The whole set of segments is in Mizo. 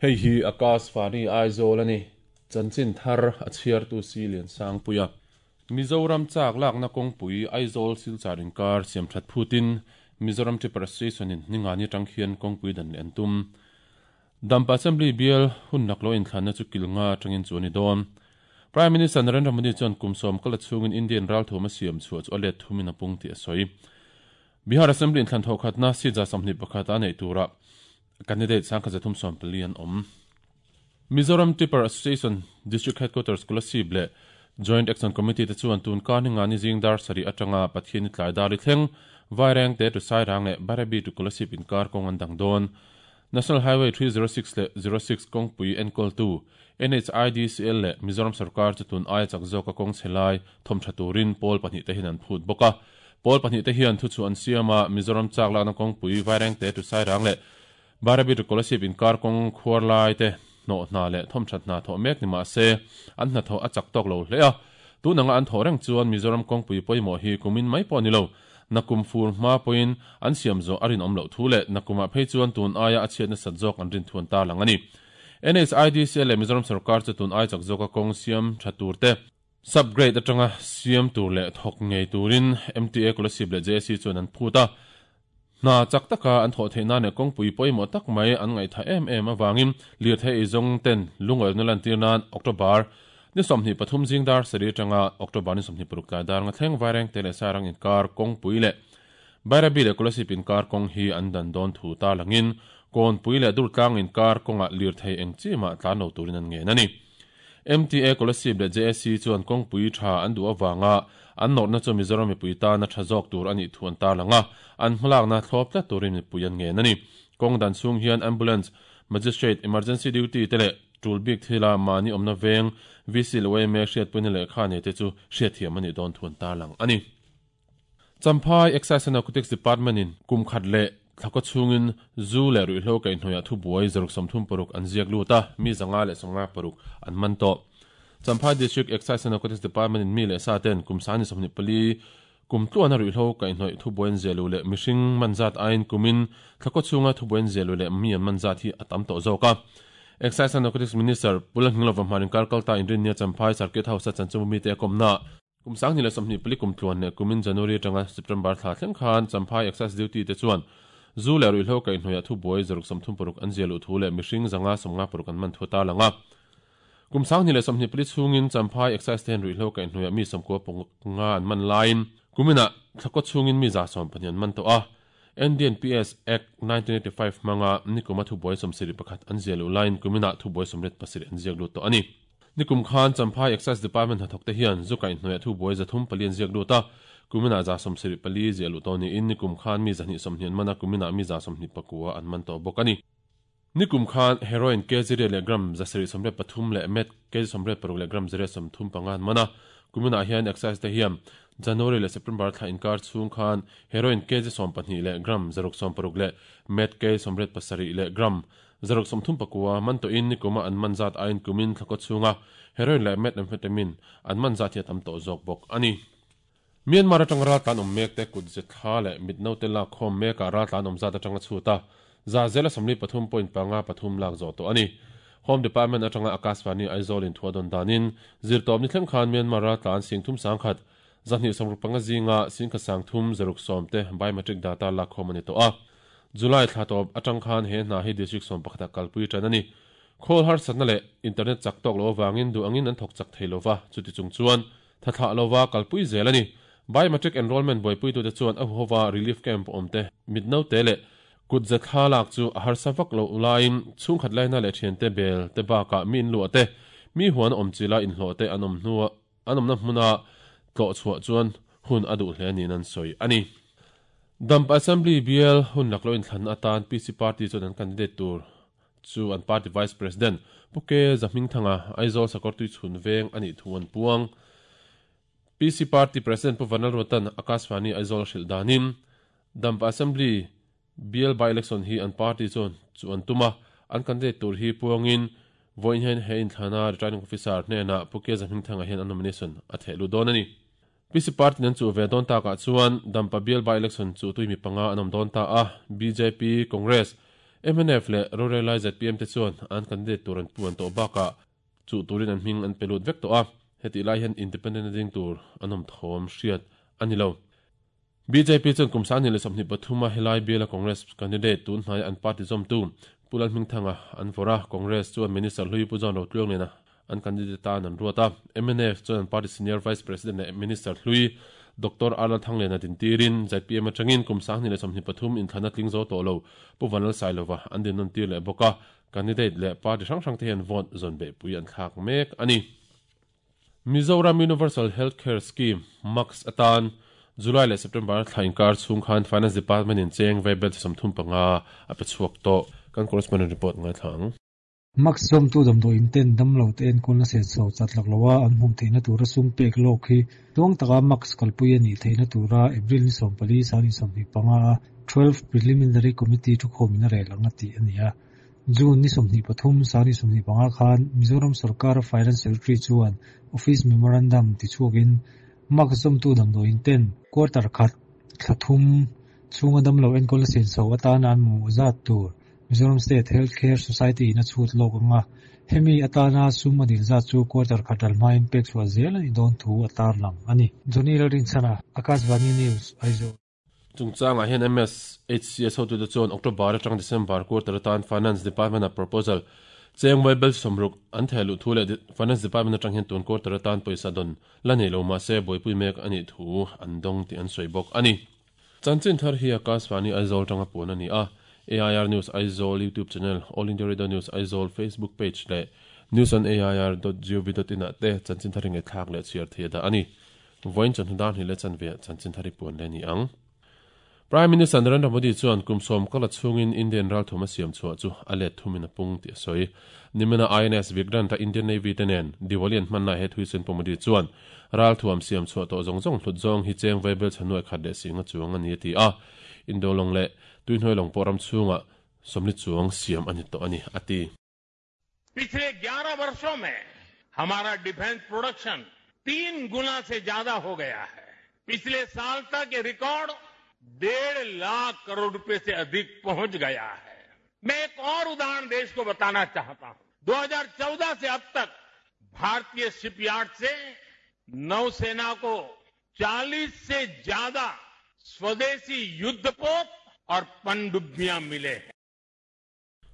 Hei hi Akashvani Aizawl a ni. Chanchin thar a chhiartu si Liansangpuia. Mizoram chak lakna kawngpui Aizawl Silchar inkar siamthat phutin Mizoram Tipper Association in Ningani atang khian kawngpui dan leh an tum. Dampa Assembly bial hun laklawh inthlanna chu kil nga atangin chu a ni dawn. Prime Minister Narendra Modi chuan kum sawm kal a chhungin Indian ralthuam a siam chhuah chu a let thumin a pung tih a sawi. Bihar Assembly inthlan thawhkhatna seat 21 a neih turah candidate 1314 an awm. Mizoram Tipper Association District Headquarters Kolasib leh Joint Action Committee te chuan tun kar Ningani zing dar sarih atanga Pathianni tlai dar i thleng Vairengte to Sairang leh Bairabi to Kolasib inkar kawng an dang dawn. National Highway 306 leh 06 kawngpui enkawltu NHIDCL leh Mizoram sorkar chu tun aia chak zawka kawng chhe lai thawm tha turin pawl pahnihte hian an phut bawk a. Pawl pahnihte hian thuchhuah an siam a, Mizoram chak lakna kawngpui Vairengte to Sairang leh Bairabi to Kolasib inkar kawng khuar lai te hnawh hna leh thawm that hna thawh mek ni mah se an hnathawh a chak tawk lo hle a. Tun anga an thawh reng chuan Mizoram kawngpui pawimawh hi kumin mai pawh ni lo, nakum fur hma pawhin an siam zawh a rinawm loh thu leh nakumah phei chuan tun aia a chhiat nasat zawk an rin thuan ta lang a ni. NHIDC leh Mizoram sorkar chu tun ai chak zawka kawng siam tha tur te, sub-grade atanga siam tur leh thawk ngei turin MTA Kolasib leh JAC chuan an phut a. Hna chak taka an thawh theih nan leh kawngpui pawimawh tak mai an ngaihthah em em avangin lirthei eizawng ten lungawlna lantir nan October ni 23 zing dar sarih atanga October ni 26 tlai dar nga thleng Vairengte leh Sairang inkar kawngpui leh Bairabi leh Kolasib inkar kawng hi an dan dawn thu tarlangin Kawnpui leh Durtlang inkar kawngah lirthei eng chi mah tlan lo turin an ngen a ni. MTA Kolasib leh JSC chuan kawngpui tha an duh avanga an nawrhna chu Mizoram mipui tana tha zawk tur a nih thu an tarlang a, an hmalakna thlawp tlat turin mipui an ngen a ni. Kawng dan chhung hian Ambulance, Magistrate, Emergency Duty te leh tul bik thila mahni awmna veng VC leh yma hriatpuina lehkha nei te chu hriatthiam a nih dawn thu an tarlang a ni. Champhai Excise and Narcotics Department in kum khat leh thlakaw chhungin zu leh ruihhlo kaihhnawihah thubuai 36 an ziak lut a, mi 156 an man tawh. Champhai District Excise and Narcotics Department in mi leh sa ten kum sani 24 kum tluana ruihhlo kaihhnawih thubuai an ziah luh leh mihring man zat aiin kumin thlakaw chhunga thubuai an ziah luh leh mi an man zat hi a tam tawh zawk a. Excise and Narcotics Minister Pu Lalhminglova hmarin kar kalta inrinnia Champhai Circuit House-a chanchinbu mite a kawmna Kum 2024 kum tluan leh kumin January atanga September thla thleng khan Champhai Excise Duty te chuan zu leh ruihhlo kaihhnawihah thubuai 36 an ziah luh thu leh mihring 156 an man thu a tarlang a. Kum 2024 chhungin Champhai Excise te hian ruihhlo kaihhnawihah mi 95 an man laiin kuminah thlakaw chhungin mi 112 an man tawh a. NDNPS Act 1985 hmanga nikuma thubuai 71 an ziah luh laiin kuminah thubuai 87 an ziak lut tawh a ni. Nikum khan Champhai Excise Department hnathawkte hian zu kaihhnawihah thubuai 304 an ziak lut a, kuminah 74 ziah luh tawh niin nikum khan mi 120 an man a, kuminah mi 129 an man tawh bawk a ni. Nikum khan heroin kg riat leh gram 783 leh meth kg 86 leh gram 135 an man a, kuminah hian Excise te hian January leh September thla inkar chhung khan heroin kg 12 leh gram 660 leh meth kg 87 leh gram 639 man tawhin nikuma an man zat aiin kumin thlakaw chhunga heroin leh methamphetamine an man zat hi a tam tawh zawk bawk a ni. Myanmar atanga raltlan awm mek te kut ze thla leh mit naute lak khawm mekah raltlan awm zat atanga chhut a, za zela 43.53 lak zawh tawh a ni. Home Department atanga Akashvani Aizawl in thu a dawn danin zirtawpni thleng khan Myanmar raltlan 31,2 265 zinga 10,360 te biometric data lak khawm a ni tawh a. July thla tawp atang khan he hna hi District 11 ah kalpui tan a ni. Khawl harsatna leh internet chak tawk lo avangin duh angin an thawk chak thei lova, chuti chung chuan tha thlah lova kalpui zel a ni. Biometric enrollment buaipuitute chuan a huhova relief camp awm te, mit naute leh kut ze thla lak chu a harsa vak loh laiin chhungkhat laina leh thiante bel te bakah mi inluah te, mi huan awm chila inhlawh te an awm hnua An awmna hmuna tlawh chhuah chuan hun a duh hle niin an sawi a ni. Damp Assembly bial hun laklawh inthlan atan PC Party chuan an candidate tur chu an party Vice President Pu K Zahmingthanga, Aizawl Sakawrtui chhun veng a nih thu an puang. PC Party President Pu Vanlalruatan Akashvani Aizawl a hrilh danin Damp Assembly Bial by-election hi an party chuan chu an tum a, an candidate tur hi puangin vawiin hian he inthlana returning officer hnenah Pu Keza Hmingthanga hian a nomination a theh lut dawn a ni. PC party an chuh ve dawn takah chuan Dampa bial by-election chu tui mi panga an awm dawn ta a, bjp, Congress, Mnf leh rorellai zpm te chuan an candidate tur an puan tawh bakah chuh turin an hming an pe lut vek tawh a, hetih lai hian independent a ding tur an awm thawm hriat a ni lo. Bjp chuan kum 2023 a helai biala Congress candidate tun hnaia an party zawmtu Pu Lalhmingthanga an vawrh a, Congress chuan Minister hlui Pu John Rotluangliana an candidate tan an ruat a, mnf chuan an party senior vice president leh minister hlui Doctor R Lalthangliana dintirin zpm atangin kum 2023 inthlana tling zo tawh lo Pu Vanlalsailova an dinnawn tir leh bawk a, candidate leh party hrang hrang te hian vote zawn beihpui an thlak mek a ni. Mizoram Universal Health Care Scheme, MACS, atan July leh September thla inkar chhung khan Finance Department in cheng vaibel 35 a pe chhuak tawh. Kan correspondent report ngaithla ang. Max zawmtu damdawiin ten damlote enkawlna senso chat lak loha an hmuh theihna tura sum pek lawk hi tluang taka Max kalpui a nih theihna tura April ni 14, 2025 a 12 Preliminary Committee thukhawmin a rel ang a tih a ni a. June ni 23, 2025 khan Mizoram sorkara Finance Secretary chuan Office Memorandum tichhuakin Max zawmtu damdawiin ten quarter khat thla thum chhunga damlo enkawlna senso atana an mamawh zat tur Mizoram State Health Care Society in a chhut lawk ang a, hemi atana sum a dil zat chu quarter khat ral hmain pek chhuah zel a ni dawn thu a tarlang a ni. Johnny Lalrinchhana, Akashvani News, Aizawl. Chungchangah hian MSHCS hotute chuan October atang December quarter atan Finance Department-a proposal cheng vaibel 60 an theh luh thu leh Finance Department atang hian tun quarter atan pawisa dawn la nei lo mahse buaipui mek a nih thu an dawng tih an sawi bawk a ni. Chanchin thar hi Akashvani Aizawl tanga puan a ni a, AIR News Aizawl YouTube channel, All India Radio News Aizawl Facebook page leh newsonair dot gov dot in ah te chanchin thar hi ngaihthlak leh chhiar thei a dah a ni. Vawiin chawhnu dar hnih leh chanve ah chanchin thar hi puan leh a ni ang. Prime Minister Narendra Modi chuan kum sawm kala chhungin Indian ralthum a siam chhuah chu a let thumin a pung tih a sawi. Nimina INS Vikrant-a Indian Navy te nen Diwali an hmanna he thuisen Pu Modi chuan Ralthuam siam chhuah tawh zawng zawng hlut zawng hi cheng vaibel chhe nuai khat leh singa chuang a ni a ti a, Indo lawng leh tuihnuai lawng pawh ram chhungah sawmli chuang siam a ni tawh a ni a ti. पिछले 11 वर्षों में हमारा defence production तीन गुना से ज्यादा हो गया है। पिछले साल तक ये रिकॉर्ड 1.5 लाख करोड़ रुपए से अधिक पहुंच गया है। मैं एक और उदाहरण देश को बताना चाहता हूं। 2014 से अब तक भारतीय शिपयार्ड से नौसेना को 40 से ज्यादा स्वदेशी युद्धपोत और पनडुब्बियां मिले हैं।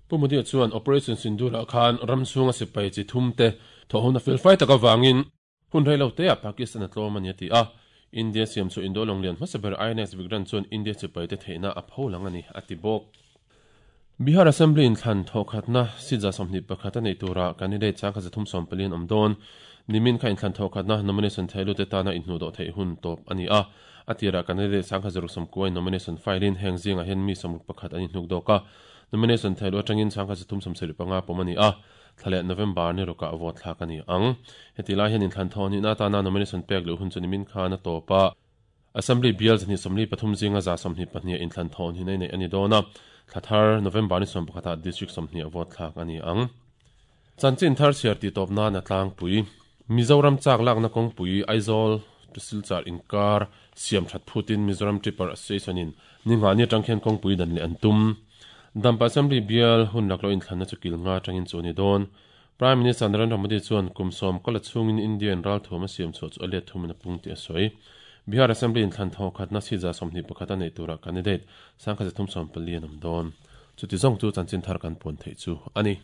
Pu Modi-a chuan Operation Sindoor-ah khan ram chhunga sipai chi thum te thawhhona felfai tak avangin hun rei lo teah Pakistan a tlawm a ni a ti a. India siam chu Indo lawng lian hmasa ber INS Vikrant chuan India sipai te theihna a pho lang a ni a ti bawk. Bihar Assembly inthlan thawhkhatna seat 21 a neih turah candidate 1340 an awm dawn. Nimin kha inthlan thawhkhatna nomination theihlute tana inhnuhdawh theih hun tawp a ni a. A tirah candidate 1690 in nomination file in heng zingah hian mi 61 an inhnuk dawk a. Nomination theiluh atangin 1375 pawm a ni a, thla leh November ni rukah vote thlak a ni ang. Heti lai hian inthlan thawh nihna atana nomination pek luh hun chu nimin khan a tawp a. Assembly bial 123 zinga 122 ah inthlan thawh nihna i neih a ni dawn a, thla thar November ni 11 ah District 20 ah vote thlak a ni ang. Chanchin thar chhiar tih tawp nan a tlangpui. Mizoram chak lakna kawngpui Aizawl to Silchar inkar siam that phutin Mizoram Tripper Association in ni nghahni atang khian kawngpui dan leh an tum. Dampa Assembly bial hun laklawh inthlanna chu kil nga atangin chu a ni dawn. Prime Minister Narendra Modi chuan kum sawm kala chhungin Indian ralthuam a siam chhuah chu a let thumin a pung tih a sawi. Bihar Assembly inthlan thaw khatna seat 21 a neih turah candidate 1340 an awm dawn. Chuti zawng chu chanchin thar kan puan theih chu a ni.